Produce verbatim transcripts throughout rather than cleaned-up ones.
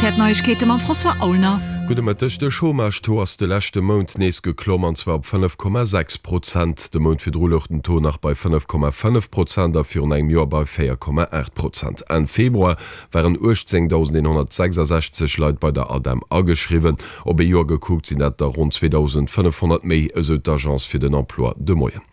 Rtl Neiegkeete mam François Aulner. Gudde Mëtteg, De Chômage-Taux ass de leschte Mount nees geklomm, an zwar op fënnef Komma sechs Prozent. De Mount virdru louch den Taux nach bei fënnef Komma fënnef Prozent a virun engem Joer bei véier Komma aacht Prozent. Enn Februar waren uechtzéngdausendeenhonnertsechsasechzeg Leit bei der ADEM ageschriwwen. Op ee Joer gekuckt sinn dat der ronn zweedausendfënnefhonnert méi, esou d'Agence fir den Emploi de Moien.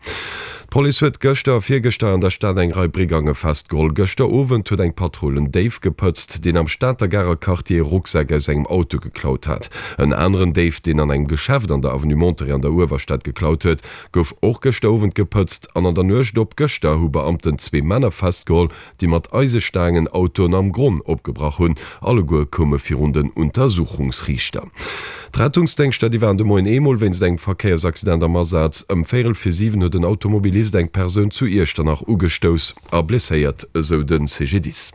D'Police huet gëschter a virgëschter an der Stad eng Rei Brigange festgeholl. Gëschter Owend huet eng Patrull en Déif gepëtzt, deen am Stater Garer Quartier e Rucksak aus engem Auto geklaut hat. En aneren Déif, deen an engem Geschäft an der Avenue Monterey an der Uewerstad geklaut huet, gouf och gëschter Owend gepëtzt. An an der Nuecht op gëschter hu Beamten zwee Männer festgeholl, déi mat Eisestaangen Autoen am Gronn opgebrach hunn. Alleguer koume virun den Untersuchungsriichter. D'Rettungsdéngschter, déi waren de Moien eemol wéinst engem Verkéiersaccident am Asaz. Ëm véierel vir siwen huet en Automobilist eng Persoun zu Iechternach ugestouss a blesséiert, esou de C G D I S.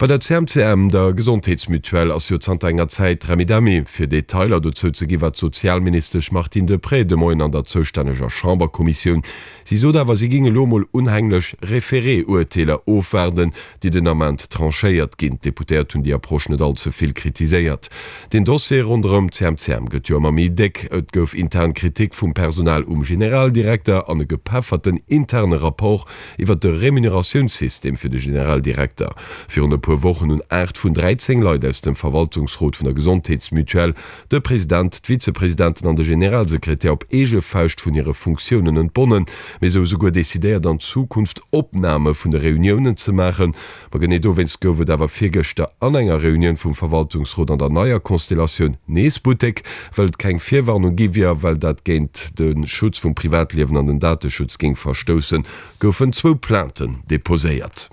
Bei der C M C M, der Gesondheetsmutuelle, ass jo zanter enger Zäit Remmidemmi. Fir Detailer dozou ze gi war d'Sozialministesch Martine Deprez de Moien an der zoustänneger Chamberkommissioun. Si sot awer, si géing elo mol unhänglech Référé-Urteeler ofwaarden, déi den Ament tranchéiert ginn. D'Deputéiert hunn déi Approche net all ze vill kritiséiert. Den Dossier ronderëm d'C M C M gëtt jo ëmmer méi déck. Et gouf intern Kritik vum Personal um Generaldirekter an e gepefferten interne Rapport iwwer de Remuneratiounssystem fir de Generaldirekter. Virun e puer Wochen hunn aacht vun dräizéng Leit aus dem Verwaltungsrot vun der Gesondheetsmutuelle, de President, d'Vizepresidenten an de Generalsekretär op eege Fauscht vun hire Funktiounen entbonnen. Mee se hu souguer decidéiert an Zukunft Opname vun de Reuniounen ze maachen. Ma genee dowéinst gouf et awer virgëschter an enger Reunioun vum Verwaltungsrot an der neier Konstellatioun nees Buttek, well et keng Virwarnung gi wier a well dat géint de Schutz vum Privatliewen an den Dateschutz géing verstoussen, goufen zwou Plainten deposéiert.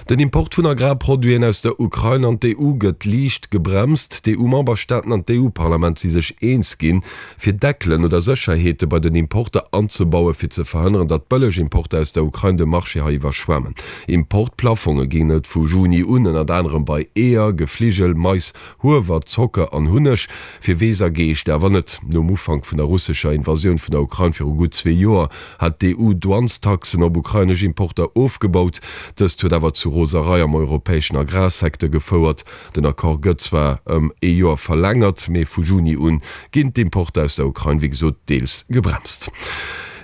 Den Import vun Agrarproduiten aus der Ukrain an d'E U gëtt liicht gebremst. D'E U-Memberstaaten an d'E U-Parlament si sech eens ginn, fir Deckelen oder Sécherheete bei den Importer anzebauen, fir ze verhënneren, datt bëlleg Importer aus der Ukrain de Marché hei iwwerschwemmen. Importplafonge ginn et vu Juni un, ënnert anerem bei Eeër, Gefligel, Mais, Huewer, Zocker an Hunneg, fir Weess a Geescht awer net. Nom Ufank vun der russescher Invasioun vun der Ukrain viru gutt zwee Joer hat d'E U Douanestaxen op ukrainesch Importer ofgebaut. Dëst huet awer zu Roserei am europäeschen Agrarsecteur gefouert. Den Accord gëtt zwar ëm ee Joer verlängert, mee vu Juni un ginn d'Importer aus der Ukrain wéi gesot deels gebremst.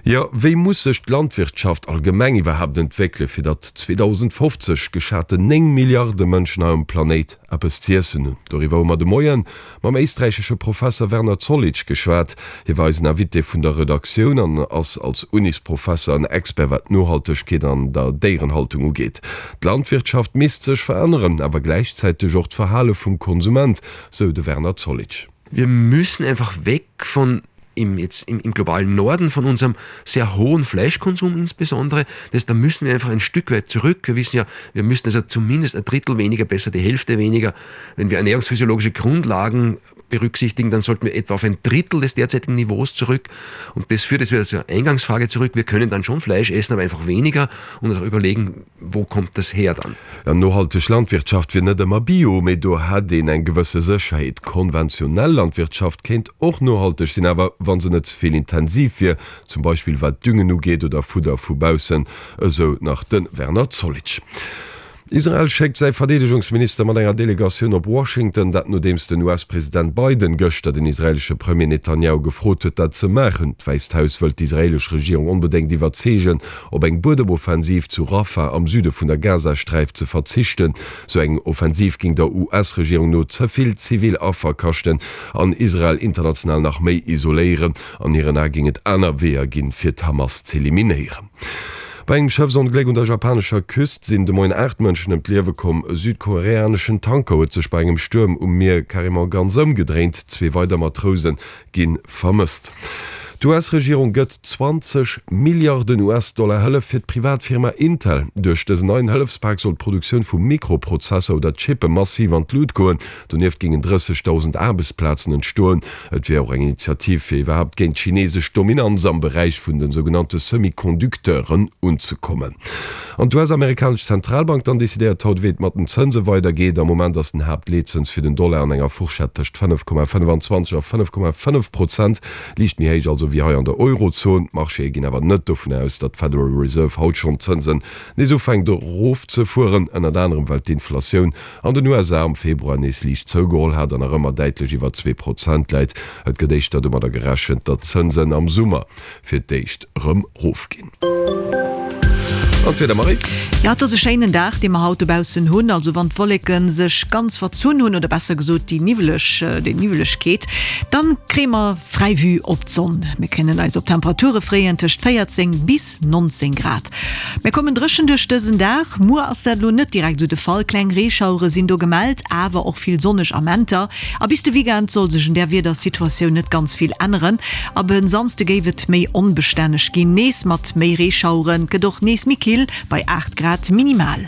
Jo, wéi muss sech d'Landwirtschaft allgemeng iwwerhaapt entwéckelen, fir datt zweedausendfofzeg geschaten néng Milliarde Mënschen hei um Planéit eppes z'iessen hunn? Doriwwer hu mer de Moien mam éisträichesche Professer Werner Zollitsch geschwat. Hie war eisen Invité vun der Redaktioun an ass als Unisprofesser en Expert wat d'Nohaltegkeet an der Déierenhaltung ugeet. D'Landwirtschaft misst sech veränneren, awer gläichzäiteg och d'Verhale vum Konsument, sou de Werner Zollitsch. Wir müssen einfach weg von im, jetzt im, im globalen Norden von unserem sehr hohen Fleischkonsum insbesondere. Das heißt, da müssen wir einfach ein Stück weit zurück. Wir wissen ja, wir müssen also zumindest ein Drittel weniger, besser die Hälfte weniger. Wenn wir ernährungsphysiologische Grundlagen berücksichtigen, dann sollten wir etwa auf ein Drittel des derzeitigen Niveaus zurück. Und das führt jetzt wieder zur Eingangsfrage zurück. Wir können dann schon Fleisch essen, aber einfach weniger und auch überlegen, wo kommt das her dann. Ja, nohalteg Landwirtschaft wier net ëmmer Bio, mee do hätt een eng gewësse Sécherheet. Konventionell Landwirtschaft kéint och nohalteg sinn, awer wa se net ze vill intensiv wier, zum Beispill wat Düngen ugeet oder Fudder vu baussen, esou nach de Werner Zollitsch. Israel schéckt säi Verdeedegungsminister mat enger Delegatioun op Washington, dat nodeems den U S-President Biden gëschter den israeelesche Premier Netanjahu gefrot huet, dat ze maachen. D'Wäisst Haus wëllt d'israeelesch Regierung onbedéngt iwwerzeegen, op eng Buedemoffensiv zu Rafah am Süde vun der Gazasträif ze verzichten. Sou eng Offensiv géing der U S-Regierung no ze vill zivil Affer kaschten an Israel international nach méi isoléieren. An hiren Ae géing et aner Weeër ginn, fir d'Hamas z'eliminéieren. Bei engem Schëffsongléck un der japanescher Küst sinn de Moien aacht Mënschen ëm d'Liewe komm. E südkoreaneschen Tanker huet sech bei engem Stuerm um Mier carrément ganz ëmgedréint. Zwee weider Matrouse gi vermësst. D'U S-Regierung gëtt zwanzeg Milliarden U S-Dollar Hëllef fir d'Privatfirma Intel. Duerch dësen neien Hëllefspak soll d'Produktioun vu Mikroprozesser oder Chippe massiv an d'Lut goen. Donieft géingen drëssegdausend Aarbechtsplazen entstoen. Et wier och eng Initiativ fir iwwerhaapt géint d'chinesesch Dominanz am Beräich vun de sougenannte Semi-Conducteuren unzekommen. An d'U S-amerikanesch Zentralbank dann decidéiert haut, wéi et mat den Zënse weidergeet. Am Moment ass den Haaptleetzëns fir den Dollar an enger Fourchette tëscht fënnef Komma fënnefenzwanzeg a fënnef Komma fënnef Prozent, liicht méi héich also esou wéi hei an der Eurozon. D'Marchéë ginn awer net dovun aus, datt d'Federal Reserve haut schonn d'Zënsen nees ufänkt erofzefueren, ënnert anerem well d'Inflatioun an den U S A am Februar nees liicht zougeholl hat an nach ëmmer däitlech iwwer zwee Prozent läit. Et gëtt éischter domadder gerechent, datt d'Zënsen am Summer fir d'éischt erëm erofginn. An d'Wieder, Marie? Jo, et ass e schéinen Dag, dee mer haut dobaussen hunn. Also wann d'Wolleke sech ganz verzunn hunn, oder besser gesot déi niwweleg, déi Niwwelegkeet, dann kréie mer fräi Vue op d'Sonn. Mir kënnen eis op Temperature freeën tëscht véierzéng bis nonzéng Grad. Mir kommen dréchen duerch dësen Dag. Muer ass dat elo net direkt esou de Fall, kleng Reeschauere sinn do gemellt, awer och vill sonneg Amenter. A bis de Weekend soll sech un där Wiedersituatioun net ganz vill änneren. Ab e Samsde géif et méi onbestänneg ginn, nees mat méi Reeschaueren. Et gëtt och nees méi kill bei aacht Grad minimal.